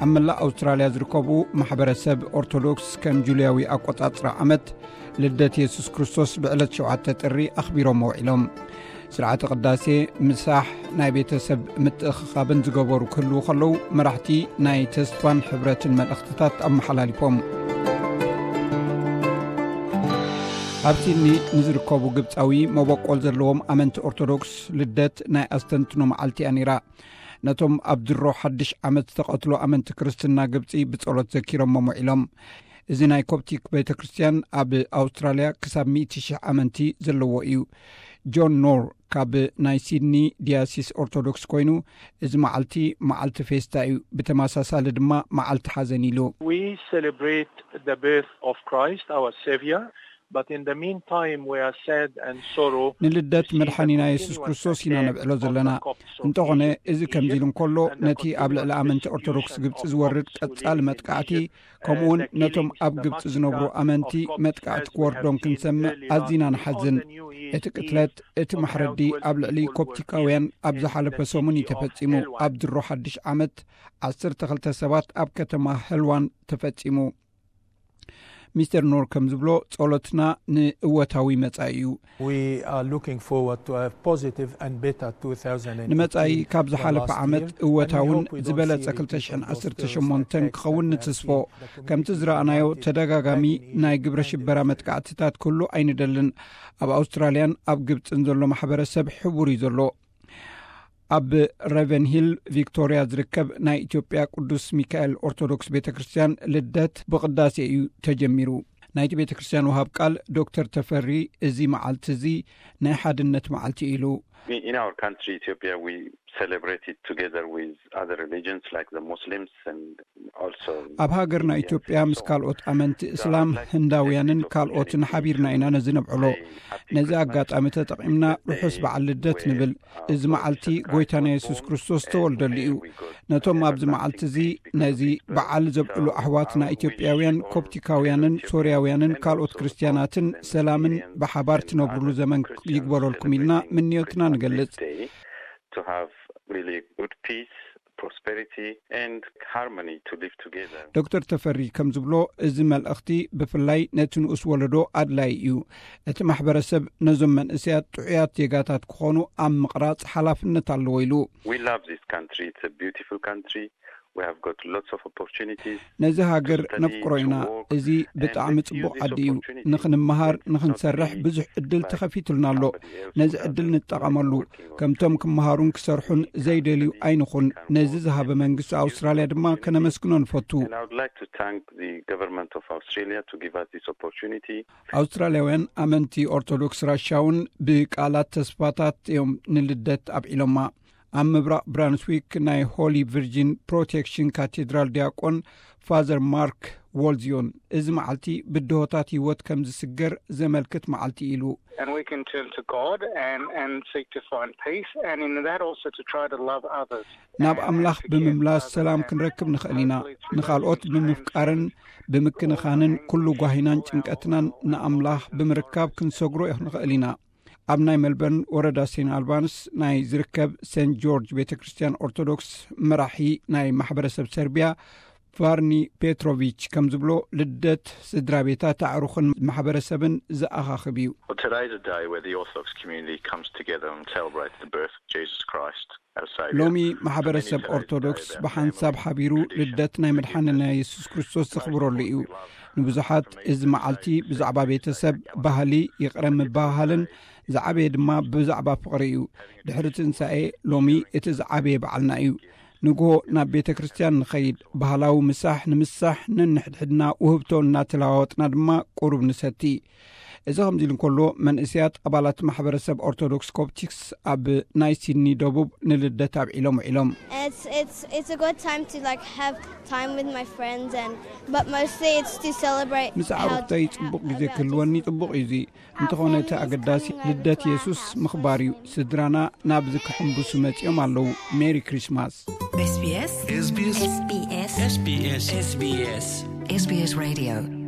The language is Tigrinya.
ኣብ መላእ ኣውስትራልያ ዝርከቡ ማሕበረሰብ ኦርቶዶክስ ከም ጁልያዊ ኣቆጻጽራ ዓመት ልደት የሱስ ክርስቶስ ብዕለት ሸውዓተ ጥሪ ኣኽቢሮም ውዒሎም። ስርዓተ ቅዳሴ፣ ምሳሕ፣ ናይ ቤተሰብ ምትእኽኻብን ዝገበሩ ክህልዉ ከለዉ፣ መራሕቲ ናይ ተስፋን ሕብረትን መልእኽትታት ኣመሓላሊፎም። ኣብ ሲድኒ ንዝርከቡ ግብጻዊ መበቆል ዘለዎም ኣመንቲ ኦርቶዶክስ፣ ልደት ናይ ኣስተንትኖ መዓልቲ እያ ነይራ። ነቶም ኣብ ድሮ ሓድሽ ዓመት ዝተቐትሉ ኣመንቲ ክርስትና ግብጺ ብጸሎት ዘኪሮሞም ውዒሎም። እዚ ናይ ኮፕቲክ ቤተ ክርስቲያን ኣብ ኣውስትራልያ ክሳብ ሚእቲ ሽሕ ኣመንቲ ዘለዎ እዩ። ጆን ኖር ካብ ናይ ሲድኒ ዲያሲስ ኦርቶዶክስ ኮይኑ፣ እዚ መዓልቲ መዓልቲ ፌስታ እዩ፣ ብተመሳሳሊ ድማ መዓልቲ ሓዘን ኢሉ። We celebrate the birth of Christ, our Savior, but in the meantime we are sad and sorrow ንልደት መድሓኒና የሱስ ክርስቶስ ኢና ነብዕሎ ዘለና። እንተኾነ፣ እዚ ከምዚ ኢሉ እንከሎ፣ ነቲ ኣብ ልዕሊ ኣመንቲ ኦርቶዶክስ ግብጺ ዝወርድ ቀጻሊ መጥቃዕቲ፣ ከምኡውን ነቶም ኣብ ግብጺ ዝነብሩ ኣመንቲ መጥቃዕቲ ክወርዶም ክንሰምዕ ኣዚና ንሓዝን። እቲ ቅትለት፣ እቲ ማሕረዲ ኣብ ልዕሊ ኮፕቲካውያን ኣብ ዝሓለፈ ሰሙን እዩ ተፈጺሙ። ኣብ ድሮ ሓድሽ ዓመት ዓሰርተ ክልተ ሰባት ኣብ ከተማ ሄልዋን ተፈጺሙ። ሚስተር ኖር ከም ዝብሎ፣ ጸሎትና ንእወታዊ መጻኢ እዩ። We are looking forward to a positive and better two thousand and eighteen ንመጻኢ ካብ ዝሓለፈ ዓመት እወታውን ዝበለጸ ክልተ ሽሕን ዓሰርተ ሸሞንተን ክኸውን ንትስፎ። ከምቲ ዝረኣናዮ፣ ተደጋጋሚ ናይ ግብረ ሽበራ መጥቃዕትታት ክህሉ ኣይንደልን። ኣብ ኣውስትራልያን ኣብ ግብጽን ዘሎ ማሕበረሰብ ሕቡር እዩ ዘሎ። ኣብ ሬቨን ሂል ቪክቶሪያ ዝርከብ ናይ ኢትዮጵያ ቅዱስ ሚካኤል ኦርቶዶክስ ቤተ ክርስቲያን ልደት ብቕዳሴ እዩ ተጀሚሩ። ናይቲ ቤተ ክርስቲያን ወሃብ ቃል ዶክተር ተፈሪ፣ እዚ መዓልቲ እዚ ናይ ሓድነት መዓልቲ ኢሉ። In our country, Ethiopia, we celebrate it together with other religions like the Muslims and also ኣብ ሃገርና ኢትዮጵያ ምስ ካልኦት ኣመንቲ እስላም፣ ህንዳውያንን ካልኦትን ሓቢርና ኢና ነዚ ነብዕሎ። ነዚ ኣጋጣሚ ተጠቒምና ርሑስ በዓል ልደት ንብል። እዚ መዓልቲ ጎይታና የሱስ ክርስቶስ ዝተወልደሉ እዩ። ነቶም ኣብዚ መዓልቲ እዚ ነዚ በዓል ዘብዕሉ ኣሕዋትና ኢትዮጵያውያን፣ ኮፕቲካውያንን ሶርያውያንን ካልኦት ክርስትያናትን ሰላምን ብሓባር ትነብሩሉ ዘመን ይግበረልኩም ኢልና ምንዮትና ንገልጽ። To have really good peace, prosperity and harmony to live together. ዶክተር ተፈሪ ከም ዝብሎ፣ እዚ መልእኽቲ ብፍላይ ነቲ ንኡስ ወለዶ ኣድላዪ እዩ። እቲ ማሕበረሰብ ነዞም መንእሰያት ጥዑያት ዜጋታት ክኾኑ ኣብ ምቕራጽ ሓላፍነት ኣለዎ ኢሉ። We love this country. It's a beautiful country. We have got lots of opportunities. ነዚ ሃገር ነፍቅሮ ኢና። እዚ ብጣዕሚ ጽቡቕ ዓዲ እዩ። ንኽንመሃር፣ ንኽንሰርሕ ብዙሕ ዕድል ተኸፊቱልና ኣሎ። ነዚ ዕድል ንጠቐመሉ። ከምቶም ክመሃሩን ክሰርሑን ዘይደልዩ ኣይንኹን። ነዚ ዝሃበ መንግስቲ ኣውስትራልያ ድማ ከነመስግኖ ንፈቱ። And I would like to thank the government of Australia to give us this opportunity. ኣውስትራልያውያን ኣመንቲ ኦርቶዶክስ ራሻ እውን ብቃላት ተስፋታት እዮም ንልደት ኣብዒሎማ። ኣብ ምብራቕ ብራንስዊክ ናይ ሆሊ ቪርጂን ፕሮቴክሽን ካቴድራል ዲያቆን ፋዘር ማርክ ዎልዝዮን፣ እዚ መዓልቲ ብድሆታት ህይወት ከም ዝስገር ዘመልክት መዓልቲ ኢሉ። And we can turn to God and, and seek to find peace, and in that also to try to love others. ናብ ኣምላኽ ብምምላስ ሰላም ክንረክብ ንኽእል ኢና። ንኻልኦት ብምፍቃርን ብምክንኻንን ኩሉ ጓሂናን ጭንቀትናን ንኣምላኽ ብምርካብ ክንሰግሮ ንኽእል ኢና። ኣብ ናይ ሜልበርን ወረዳ ሴንት ኣልባንስ ናይ ዝርከብ ሴንት ጆርጅ ቤተ ክርስቲያን ኦርቶዶክስ መራሒ ናይ ማሕበረሰብ ሰርቢያ ቫርኒ ፔትሮቪች ከም ዝብሎ፣ ልደት ስድራ ቤታት ኣዕሩኽን ማሕበረሰብን ዝኣኻኽብ እዩ። Well, today's a day where the Orthodox community comes together and celebrates the birth of Jesus Christ, our Saviour. ሎሚ ማሕበረሰብ ኦርቶዶክስ ብሓንሳብ ሓቢሩ ልደት ናይ መድሓኒና የሱስ ክርስቶስ ዘኽብረሉ እዩ። ንብዙሓት እዚ መዓልቲ ብዛዕባ ቤተሰብ፣ ባህሊ፣ ይቕረ ምብሃሃልን ዝዓበየ ድማ ብዛዕባ ፍቕሪ እዩ። ድሕሪ ትንሳኤ ሎሚ እቲ ዝዓበየ በዓልና እዩ። ንግሆ ናብ ቤተ ክርስቲያን ንኸይድ፣ ባህላዊ ምሳሕ ንምሳሕ ነንሕድሕድና ውህብቶ እናተለዋወጥና ድማ ቁሩብ ንሰቲ። እዚ ከምዚ ኢሉ እንከሎ፣ መንእሰያት ኣባላት ማሕበረሰብ ኦርቶዶክስ ኮፕቲክስ ኣብ ናይ ሲድኒ ደቡብ ንልደት ኣብዒሎም ውዒሎም። It's it's it's a good time to like have time with my friends and but mostly it's to celebrate ምስ ኣዕሩኽተይ ጽቡቕ ግዜ ክህልወኒ ጽቡቕ እዩ። እዚ እንተኾነ እቲ ኣገዳሲ ልደት የሱስ ምኽባር እዩ። ስድራና ናብዚ ክሕምብሱ መጺኦም ኣለዉ። ሜሪ ክሪስማስ። SBS SBS SBS SBS SBS Radio